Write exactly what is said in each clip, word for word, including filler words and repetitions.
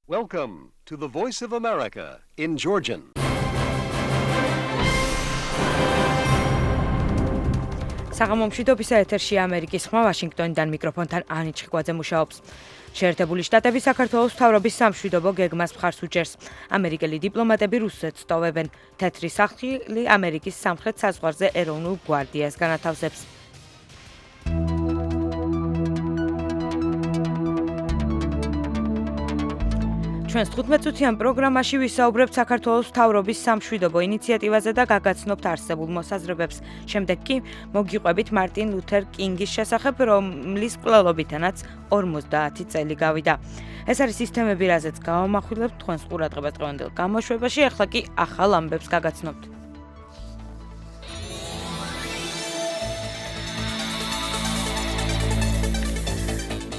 Welcome to the Voice of America in Georgian. საღამომშვიდობისა ეთერში ამერიკის ხმა ვაშინგტონიდან მიკროფონთან ანი ჩხიკვაძე მუშაობს. შეერთებული შტატები საქართველოს მთავრობის სამშვიდობო გეგმას მხარს უჭერს. ამერიკელი დიპლომატები რუსეთს ტოვებენ. თეთრი სახლი ამერიკის სამხრეთ საზღვარზე ეროვნულ გვარდიას განათავსებს. ჩვენს თხუთმეტწუთიან პროგრამაში ვისაუბრებთ საქართველოს მთავრობის სამშვიდობო ინიციატივაზე და გაგაცნობთ არსებულ მოსაზრებებს. შემდეგ კი მოგიყვებით მარტინ ლუთერ კინგის შესახებ, რომლის მკვლელობითანაც ორმოცდაათი წელი გავიდა. ეს არის სისტემები, რაზეც გავამახვილებთ თქვენს ყურადღებას დღევანდელ გამოშვებაში, ახლა კი ახალ ამბებს გაგაცნობთ.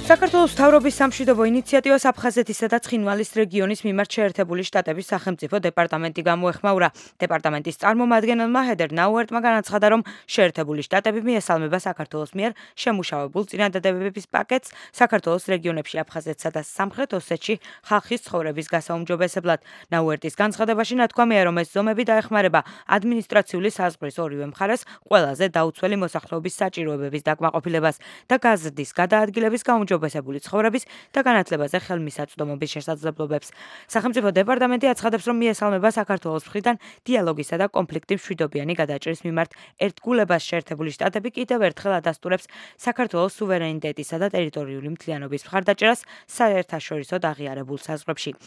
საქართველოს მთავრობის სამშვიდობო ინიციატივას აფხაზეთისა და ცხინვალის რეგიონის მიმართ შეერთებული შტატების სახელმწიფო დეპარტამენტი გამოეხმაურა. დეპარტამენტის წარმომადგენელმა ჰედერ ნაუერტმა განაცხადა, რომ შეერთებული შტატები მიესალმება საქართველოს მიერ შემუშავებულ წინადადებების პაკეტს საქართველოს რეგიონებში აფხაზეთსა და სამხრეთ ოსეთში ხალხის ცხოვრების გასაუმჯობესებლად. ნაუერტის განცხადებაში ნათქვამია, რომ ეს ზომები დაეხმარება ადმინისტრაციული საზღვრის ორივე მხარეს ყველაზე დაუცველი მოსახლეობის საჭიროებების დაკმაყოფილებას და გაზრდის გადაადგილების გაუმჯობესებას ბესებული ცხოვრების და განათლებაზე ხელმისაწვდომობის შესაძლებლობებს. სახელმწიფო დეპარტამენტი აცხადებს, რომ მიესალმება საქართველოს მხრიდან დიალოგისა და კონფლიქტის მშვიდობიანი გადაჭრის მიმართ ერთგულებას. შეერთებული შტატები კიდევ ერთხელ ადასტურებს საქართველოს სუვერენიტეტისა და ტერიტორიული მთლიანობის მხარდაჭერას საერთაშორისოდ აღიარებულ საზღვრებში.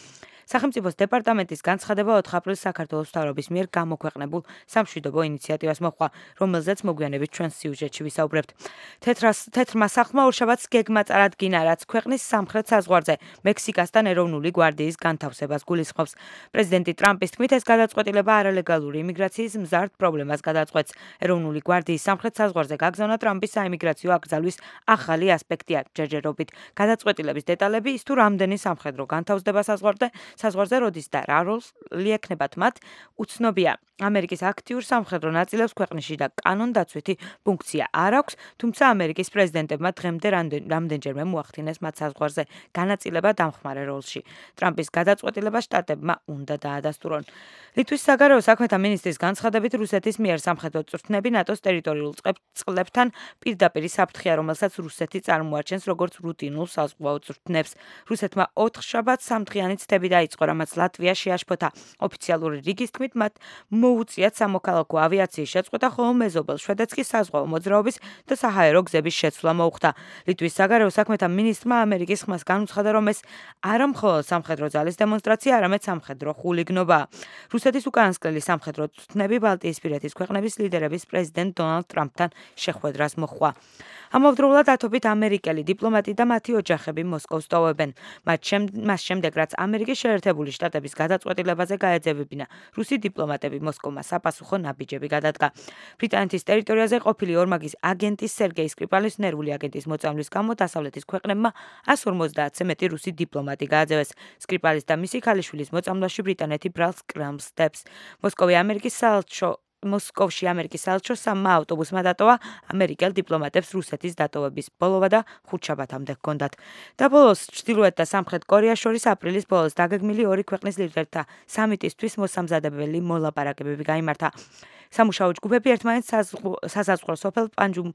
სახელმწიფოს დეპარტამენტის განცხადება ოთხ აპრილს საქართველოს მთავრობის მიერ გამოქვეყნებულ სამშვიდობო ინიციატივას მოჰყვა, რომელზეც მოგვიანებით ჩვენს სიუჟეტში ვისაუბრებთ. თეთრმა სახლმა ორშაბათს გეგმა წარადგინა, რაც ქვეყნის სამხრეთ საზღვარზე მექსიკასთან ეროვნული გვარდიის განთავსებას გულისხმობს. პრეზიდენტი ტრამპის თქმით, ეს გადაწყვეტილება არალეგალური იმიგრაციის მზარდ პრობლემას გადაწყვეტს. ეროვნული გვარდიის სამხრეთ საზღვარზე გაგზავნა ტრამპის საიმიგრაციო აკრძალვის ახალი ასპექტია. ჯერჯერობით გადაწყვეტილების დეტალები, ის თუ რამდენი სამხედრო განთავსდება საზღვარზე საზღვარზე როდის და რა როლს ლიექნებათ მათ, უცნობია. ამერიკის აქტიურ სამხედრო ნაწილებს ქვეყნში და კანონდაცვითი ფუნქცია არ აქვს, თუმცა ამერიკის პრეზიდენტებმა დღემდე რამდენჯერმე მოახდინეს მათ საზღვარზე განაწილება დამხმარე როლში. ტრამპის გადაწყვეტილება შტატებმა უნდა დაადასტურონ. ლიტვის საგარეო საქმეთა მინისტრის განცხადებით, რუსეთის მიერ სამხედრო წვრთნები ნატოს ტერიტორიულ წყლებთან პირდაპირ საფრთხეა, რომელსაც რუსეთი წარმოაჩენს როგორც რუტინულ საზღვაო წვრთნებს. რუსეთმა ოთხ შაბათს სამდღიანი ცდები დაიწყო, რამაც ლატვია შეაშფოთა. ოფიციალური რიგის თქმით, მათ მოუწიათ სამოქალაქო ავიაციის შეწყვეტა, ხოლო მეზობელ შვედეთს კი საზღვაო მოძრაობის და საჰაერო გზების შეცვლა მოუხდა. ლიტვის საგარეო საქმეთა მინისტრმა ამერიკის ხმას განუცხადა, რომ ეს არა მხოლოდ სამხედრო ძალის დემონსტრაცია, არამედ სამხედრო ხულიგნობაა. რუსეთის უკანასკნელი სამხედრო წვრთნები ბალტიისპირეთის ქვეყნების ლიდერების პრეზიდენტ დონალდ ტრამპთან შეხვედრას მოჰყვა. ამავდროულად ათობით ამერიკელი დიპლომატი და მათი ოჯახები მოსკოვს ტოვებენ. მას შემდეგ, რაც ამერიკის შეერთებული შტატების გადაწყვეტილებაზე გაეძევებინა, რუსი დიპლომატები მოსკოვმა საპასუხო ნაბიჯები გადადგა. ბრიტანეთის ტერიტორიაზე ყოფილი ორმაგის აგენტის სერგეი სკრიპალის ნერვული აგენტის მოწამვლის გამო დასავლეთის ქვეყნებმა εκατს ორმოცდაათზე მეტი რუსი დიპლომატი გააძევეს. სკრიპალის და მისი ქალიშვილის მოწამვლაში ბრიტანეთი ბრალს კრამს დებს. მოსკოვი ამერიკის საელჩო მოსკოვში ამერიკის საელჩო სამმა ავტობუსმა დატოვა. ამერიკელ დიპლომატებს რუსეთის დატოვების ბოლოვა და ხუთშაბათამდე ჰქონდათ. და ბოლოს ჩრდილოეთ და სამხრეთ კორეას შორის აპრილის ბოლოს დაგეგმილი ორი ქვეყნის ლიდერთა სამიტისთვის მოსამზადებელი მოლაპარაკებები გაიმართა. სამუშაო ჯგუფები ერთმანეთს საზღვაო სოფელ პანჯუმ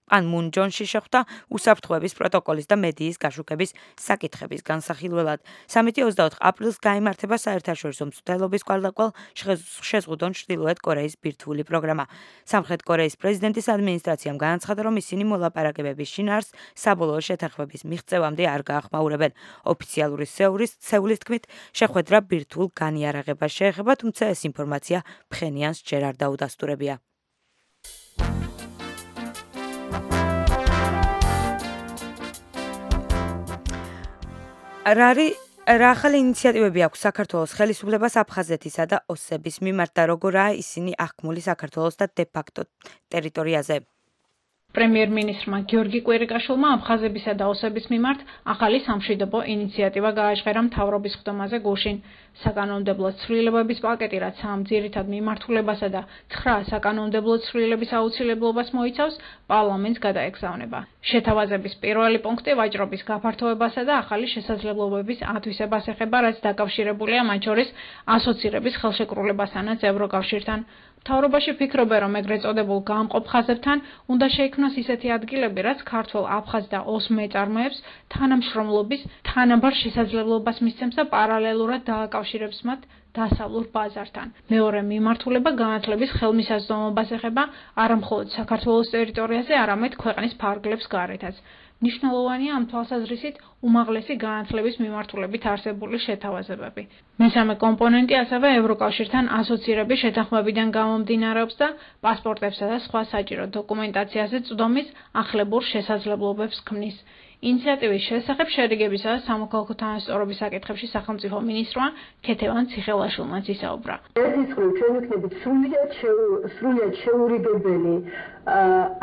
პანმუნ ჯონში შეხვდა უსაფრთხოების პროტოკოლის და მედიის გაშუქების საკითხების განსახილველად. სამიტი ოცდაოთხ აპრილს გაიმართება საერთაშორისო მცდელობის კვალდაკვალ შეზღუდონ ჩრდილოეთ კორეის ბირთვული პროგრამა. სამხრეთ კორეის პრეზიდენტის ადმინისტრაციამ განაცხადა, რომ ისინი მოლაპარაკებების შინაარსს საბოლოო შეთანხმების მიღწევამდე არ გაახმაურებენ. ოფიციალური სეულის თქმით, შეხვედრა ბირთვულ განიარაღებას შეეხება, თუმცა ეს ინფორმაცია ფხენიანს ჯერ არ დაუდასტურებია. რარი რა ახალი ინიციატივები აქვს საქართველოს ხელისუფლებას აფხაზეთისა და ოსების მიმართ და როგორაა ისინი აღქმული საქართველოს და დე-ფაქტო ტერიტორიაზე? პრემიერ-მინისტრმა გიორგი კვირიკაშვილმა აფხაზებისა და ოსების მიმართ ახალი სამშვიდობო ინიციატივა გააჟღერა მთავრობის ხდომაზე გუშინ. საკანონმდებლო ცვლილებების პაკეტი, რაც ამ ძირითად მიმართულებასა და ცხრა საკანონმდებლო ცვლილების აუცილებლობას მოიცავს, პარლამენტს გადაეგზავნება. შეთავაზების პირველი პუნქტი ვაჭრობის გაფართოებასა და ახალი შესაძლებლობების ათვისებას ეხება, რაც დაკავშირებულია მათ შორის ასოცირების ხელშეკრულებასთანაც ევროკავშირთან. მთავრობაში ფიქრობენ, რომ ეგრეთ წოდებულ გამყოფ ხაზებთან უნდა შეიქმნას ისეთი ადგილები, რაც ქართველ, აფხაზ და ოს მეწარმეებს თანამშრომლობის თანაბარ შესაძლებლობას მისცემს და პარალელურად დააკავშირებს მათ დასავლურ ბაზართან. მეორე მიმართულება განათლების ხელმისაწვდომობას ეხება არა მხოლოდ საქართველოს ტერიტორიაზე, არამედ ქვეყნის ფარგლებს გარეთაც. მნიშვნელოვანია ამ თვალსაზრისით უმაღლესი განათლების მიმართულებით არსებული შეთავაზებები. მესამე კომპონენტი ასევე ევროკავშირთან ასოცირების შეთანხმებიდან გამომდინარეობს და პასპორტებსა და სხვა საჭირო დოკუმენტაციაზე წვდომის ახლებურ შესაძლებლობებს ქმნის. ინიციატივის შესახებ შერიგებისა და სამოქალაქო თანასწორობის საკითხებში სახელმწიფო მინისტრმა ქეთევან ციხელაშვილმაც ისაუბრა. ერთის მხრივ ჩვენ ვიქნებით სრულიად სრულიად შეურიგებელი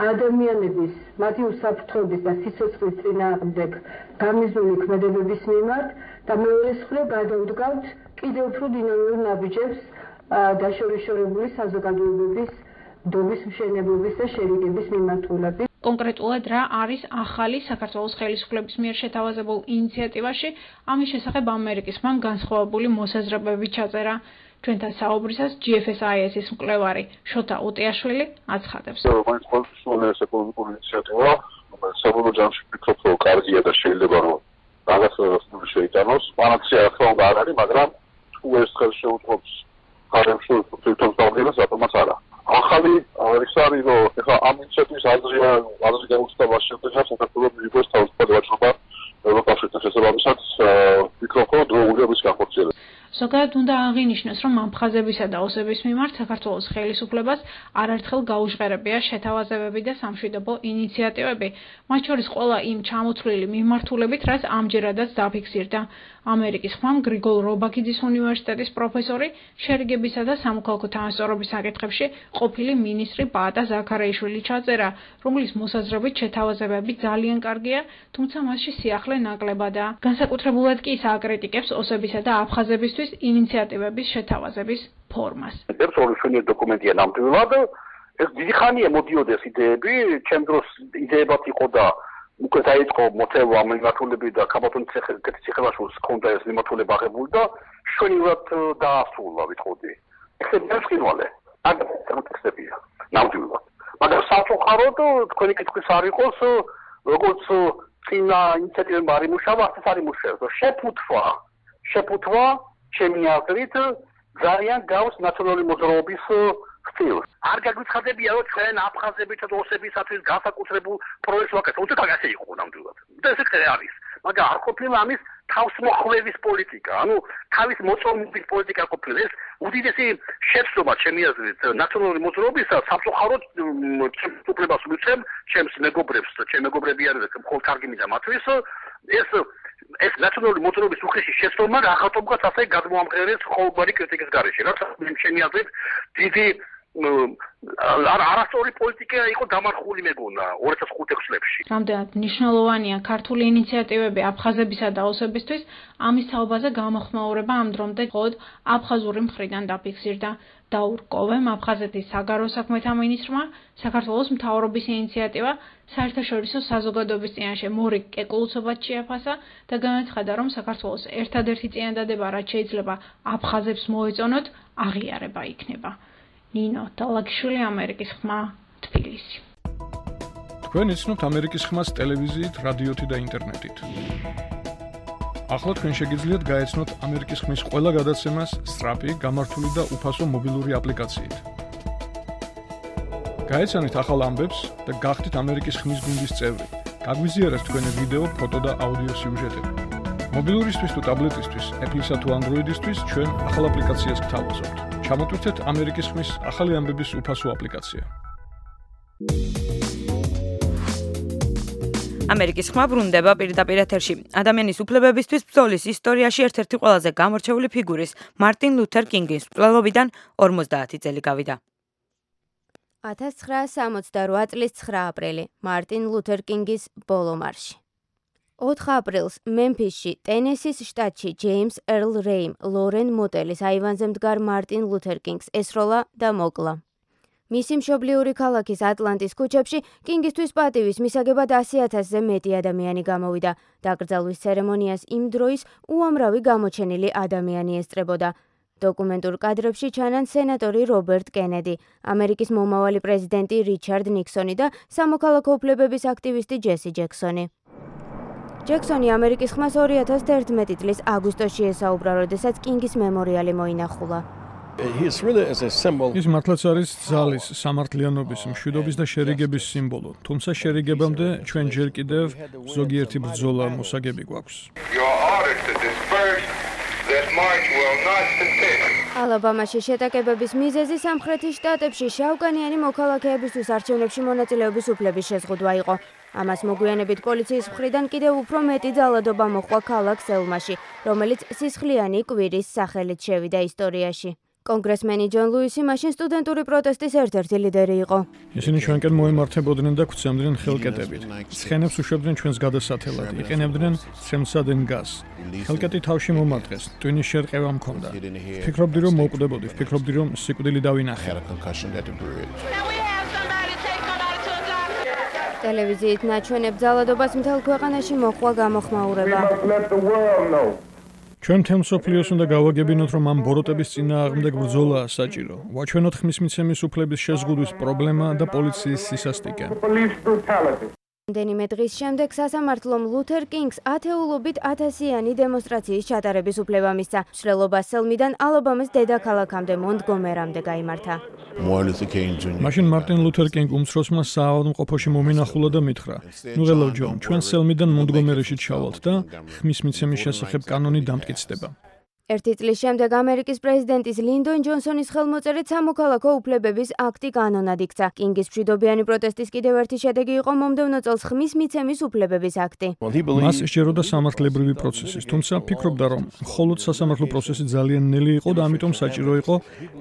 ადამიანების, მათი უსაფრთხოების და სიცოცხლის წინააღმდეგ გამიზნული ქმედებების მიმართ და მეორეს მხრივ გადავდგავთ კიდევ უფრო დინამიურ ნაბიჯებს დაშორიშორებული საზოგადოებების დობის მშენებლობის და შერიგების მიმართულებით. კონკრეტულად რა არის ახალი საქართველოს ხელისუფლების მიერ შეთავაზებულ ინიციატივაში, ამის შესახებ ამერიკის ხმამ განსხვავებული მოსაზრებები ჩაწერა. ჩვენთან საუბრისას ჯი ეფ ეს აი ეს-ის მკვლევარი შოთა უტიაშვილი აცხადებს. მაინც ყოველთვის ეს ეკონომიკური ინიციატივა, რომელიც საბოლოო ჯამში ვფიქრობ, რომ კარგია და შეიძლება რომ რაღაც შეიტანოს. პანაცეა ახლა უნდა არ არის, მაგრამ თუ ეს ხელს შეუწყობს ხარემში თვითონ დავდგენას, რატომაც არა. ახალი ის არის, რომ ეხლა ამ ინიციატივის აზრია, აზრი გაუჩნდება შედეგად საქართველოს მიიღოს თავისუფლად ვაჭრობა ევროკავშირთან შესაბამისად, ვფიქრობ, რომ დროულია მის განხორციელებას. ზოგადად უნდა აღინიშნოს, რომ ამ ხაზებისა და ოსების მიმართ საქართველოს ხელისუფლებას არაერთხელ გაუჟღერებია შეთავაზებები და სამშვიდობო ინიციატივები, მათ შორის ყველა იმ ჩამოთვლილი მიმართულებით, რაც ამჯერადაც დაფიქსირდა. ამერიკის ხმამ გრიგოლ რობაქიძის უნივერსიტეტის პროფესორი შერიგებისა და სამოქალაქო თანასწორობის საკითხებში ყოფილი მინისტრი პაატა ზაქარაიშვილი ჩაწერა, რომლის მოსაზრებით შეთავაზებები ძალიან კარგია, თუმცა მასში სიახლე ნაკლებადაა. განსაკუთრებულად კი ის აკრიტიკებს ოსებისა და აფხაზებისთვის ინიციატივების შეთავაზების ფორმას. ეს ორი ჩვენი დოკუმენტია ნამდვილად. ეს დიდი ხანია მოდიოდეს იდეები, ჩემ დროს იდეებად იყო და უკვე დაიწყო მოთელვა ამ მიმართულებით და ქაბატონ ციხელაშვილს ჰქონდა ეს მიმართულება აღებული და შვენივრად დაასრულა ვიტყოდი. ეს დასკინვალე. ამ ტექსტებია ნამდვილად. მაგრამ სამწუხაროდ თქვენი კითხვის არ იყოს, როგორც წინა ინიციატივებმა არ იმუშავა, ასე არ იმუშავებს. შეფუთვა, შეფუთვა ჩემი აზრით ძალიან გავს ნაციონალური მოძრაობის სტილს. არ გაგვიცხადებია, რომ ჩვენ აფხაზებით და ოსებისათვის განსაკუთრებულ პროექტს ვაკეთებთ. უცებ ასე იყო ნამდვილად. და ესე კი არის. მაგრამ არ ყოფილა ამის თავსმოხვევის პოლიტიკა, ანუ თავის მოწონების პოლიტიკა ყოფილა. ეს უდიდესი შეცდომა ჩემი აზრით ნაციონალური მოძრაობისა სამწუხაროდ ჩემს უფლებას მივცემ, ჩემს მეგობრებს, ჩემი მეგობრები არიან, მხოლოდ კარგი მინდა მათთვის. ეს ეს ნაციონალური მოძრაობის უხეში შეცდომა რაღაცობგაც ასე გადმოამყერეს ყოველგვარი კრიტიკის გარეშე. რაც ჩემი აზრით დიდი არასწორი პოლიტიკა იყო დამარხული მეგონა ორი ათას ხუთი წლებში. რამდენად მნიშვნელოვანია ქართული ინიციატივები აფხაზებისა და ოსებისთვის, ამის თაობაზე გამოხმაურება ამ დრომდე მხოლოდ აფხაზური მხრიდან დაფიქსირდა. დაურ კოვემ, აფხაზეთის საგარეო საქმეთა მინისტრმა, საქართველოს მთავრობის ინიციატივა საერთაშორისო საზოგადოების წინაშე მორიგ კეკლუცობას შეაფასა და განაცხადა, რომ საქართველოს ერთადერთი წინადადება, რაც შეიძლება აფხაზებს მოეწონოთ, აღიარება იქნება. ნინო ტალაგიშვილი, ამერიკის ხმა, თბილისი. თქვენ იცნობთ ამერიკის ხმას ტელევიზიით, რადიოთი და ინტერნეტით. ახლა თქვენ შეგიძლიათ გაეცნოთ ამერიკის ხმის ყველა გადაცემას სწრაფი, გამართული და უფასო მობილური აპლიკაციით. გაეცანით ახალ ამბებს და გახდით ამერიკის ხმის გუნდის წევრი. გაგვიზიარეთ თქვენი ვიდეო, ფოტო და აუდიო სიუჟეტები. მობილურისთვის თუ ტაბლეტისთვის, Apple-ისა თუ Android-ისთვის ჩვენ ახალ აპლიკაციას გთავაზობთ. ჩამოტვირთეთ ამერიკის ხმის ახალი ამბების უფასო აპლიკაცია. ამერიკის ხმა ბრუნდება პირდაპირ ეთერში. ადამიანის უფლებებისთვის ბრძოლის ისტორიაში ერთ-ერთი ყველაზე გამორჩეული ფიგურის, მარტინ ლუთერ კინგის მკვლელობიდან ორმოცდაათი წელი გავიდა. ათას ცხრაასი სამოცდარვა წლის ცხრა აპრილი, მარტინ ლუთერ კინგის ბოლო მარში. ოთხ აპრილს მემფისში, ტენესის შტატში ჯეიმს ერლ რეიმ ლორენ მოტელის აივანზე მდგარ მარტინ ლუთერ კინგს ესროლა და მოკლა. მისი მშობლიური ქალაქის ატლანტის ქუჩებში კინგისთვის პატივის მისაგებად ასი ათასზე მეტი ადამიანი გამოვიდა. დაკრძალვის ცერემონიას იმ დროის უამრავი გამოჩენილი ადამიანი ესწრებოდა. დოკუმენტურ კადრებში ჩანან სენატორი რობერტ კენედი, ამერიკის მომავალი პრეზიდენტი რიჩარდ ნიქსონი და სამოქალაქო უფლებების აქტივისტი ჯესი ჯექსონი. ჯექსონი ამერიკის ხმას ორი ათას თერთმეტი წლის აგვისტოში ესაუბრა, როდესაც კინგის მემორიალი მოინახულა. ის მართლაც არის ძალის, სამართლიანობის, მშვიდობის და შერიგების სიმბოლო, თუმცა შერიგებამდე ჩვენ ჯერ კიდევ ზოგიერთი ბრძოლა მოსაგები გვაქვს. ალაბამაში შეტაკებების მიზეზი სამხრეთის შტატებში შავკანიანი მოქალაქეებისთვის არჩევნებში მონაწილეობის უფლების შეზღუდვა იყო. ამას მოგვიანებით პოლიციის მხრიდან კიდევ უფრო მეტი ძალადობა მოჰყვა ქალაქ სელმაში, რომელიც სისხლიანი კვირის სახელით შევიდა ისტორიაში. კონგრესმენი ჯონ ლუისი მაშინ სტუდენტური პროტესტის ერთ-ერთი ლიდერი იყო. ისინი ჩვენკენ მოემართებოდნენ და გვცემდნენ ხელკეტებით. ცხენებს უშვებდნენ ჩვენს გადასათელად, იყენებდნენ ცემსადენ გაზს. ხელკეტი თავში მომარტყეს, ტვინის შერყევა მქონდა. ვფიქრობდი, რომ მოვკვდებოდი, ვფიქრობდი, რომ სიკვდილი დავინახე. ტელევიზიით ნაჩვენებ ძალადობას მთელ ქვეყანაში მოჰყვა გამოხმაურება. ჩვენ მთელ მსოფლიოს უნდა გავაგებინოთ, რომ ამ ბოროტების წინააღმდეგ ბრძოლაა საჭირო. ვაჩვენოთ ხმის მიცემის უფლების შეზღუდვის პრობლემა და პოლიციის სისასტიკე. რამდენიმე დღის შემდეგ სასამართლომ ლუთერ კინგს ათეულობით ათასიანი დემონსტრაციის ჩატარების უფლება მისცა. მშრალობა სელმიდან ალაბამის დედაქალაქამდე მონტგომერამდე გაიმართა. მაშინ მარტინ ლუთერ კინგ უმცროსმა საავადმყოფოში მომინახულა და მითხრა: "ნუ ღელავ ჯონ, ჩვენ სელმიდან მონტგომერიში ჩავალთ და ხმის მიცემის შესახებ კანონი დამტკიცდება." ერთი წლის შემდეგ ამერიკის პრეზიდენტის ლინდონ ჯონსონის ხელმოწერით სამოქალაქო უფლებების აქტი კანონად იქცა. კინგის მშვიდობიანი პროტესტის კიდევ ერთი შედეგი იყო მომდევნო წელს ხმის მიცემის უფლებების აქტი. მას სჯეროდა სამართლებრივი პროცესის, თუმცა ფიქრობდა, რომ მხოლოდ სასამართლო პროცესი ძალიან ნელი იყო და ამიტომ საჭირო იყო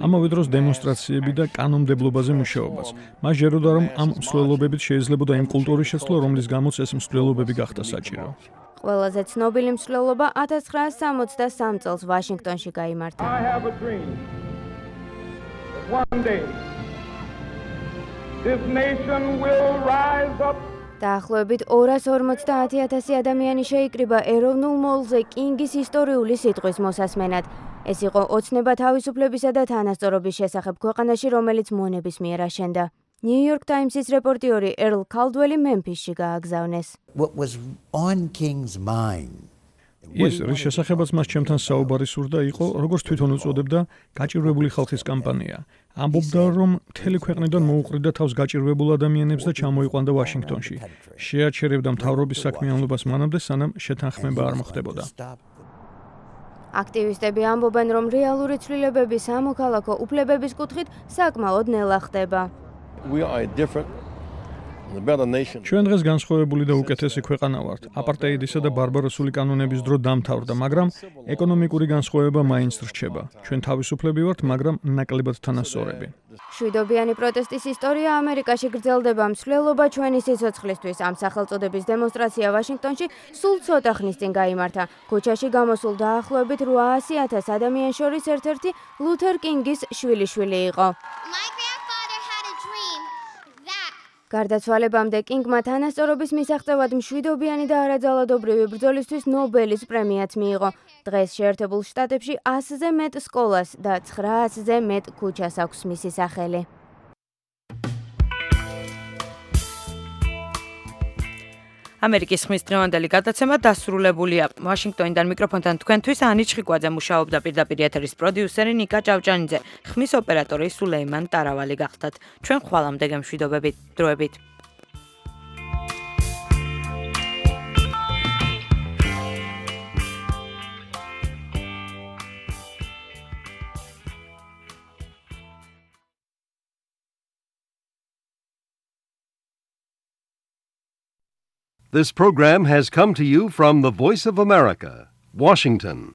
ამავე დროს დემონსტრაციები და კანონმდებლობაზე მუშაობაც. მას სჯეროდა, რომ ამ მსვლელობებით შეიძლებოდა იმ კულტურის შეცვლა, რომლის გამოც ეს მსვლელობები გახდა საჭირო. ყველაზე ცნობილი მსვლელობა ათას ცხრაასი სამოცდასამ წელს ვაშინგტონში გაიმართა. დაახლოებით ორას ორმოცდაათი ათასი ადამიანი შეიკრიბა ეროვნულ მოლზე კინგის ისტორიული სიტყვის მოსასმენად. ეს იყო ოცნება თავისუფლებისა და თანასწორობის შესახებ ქვეყანაში, რომელიც მონების მიერ აშენდა. New York Times-ის რეპორტიორი ერლ კალდველი მემფისში გააგზავნეს. ის, რის შესახებაც მას ჩემთან საუბარი სურდა, იყო, როგორც თვითონ უწოდებდა, გაჭირვებული ხალხის კამპანია. ამბობდა, რომ მთელი ქვეყნიდან მოუყრიდა თავს გაჭირვებულ ადამიანებს და ჩამოიყვანდა ვაშინგტონში. შეაჩერებდა მთავრობის საქმიანობას მანამდე, სანამ შეთანხმება არ მოხდებოდა. აქტივისტები ამბობენ, რომ რეალური ცვლილებები სამოქალაქო უფლებების კუთხით საკმაოდ ნელა ხდება. ჩვენ დღეს განსხვავებული და უკეთესი ქვეყანა ვართ. აპარტეიდისა და ბარბაროსული კანონების დრო დამთავრდა, მაგრამ ეკონომიკური განსხვავება მაინც რჩება. ჩვენ თავისუფლები ვართ, მაგრამ ნაკლებად თანასწორები. მშვიდობიანი პროტესტის ისტორია ამერიკაში გრძელდება. მსვლელობა ჩვენი სიცოცხლისთვის. ამ სახელწოდების დემონსტრაცია ვაშინგტონში სულ ცოტა ხნის წინ გაიმართა. ქუჩაში გამოსულ დაახლოებით რვაასი ათას ადამიანს შორის ერთ-ერთი ლუთერ კინგის შვილიშვილი იყო. გარდაცვალებამდე კინგმა თანასწორობის მისაღწევად მშვიდობიანი და არაძალადობრივი ბრძოლისთვის ნობელის პრემიაც მიიღო. დღეს შეერთებულ შტატებში ასზე მეტ სკოლას და ცხრაასზე მეტ ქუჩას აქვს მისი სახელი. ამერიკის ხმის დღევანდელი გადაცემა დასრულებულია. ვაშინგტონიდან მიკროფონთან თქვენთვის ანი ჩხიკვაძე მუშაობდა, პირდაპირ ეთერის პროდიუსერი ნიკა ჭავჭანიძე, ხმის ოპერატორი სულეიმან ტარავალი გახდათ. ჩვენ ხვალამდე გემშვიდობებით, დროებით. This program has come to you from the Voice of America, Washington.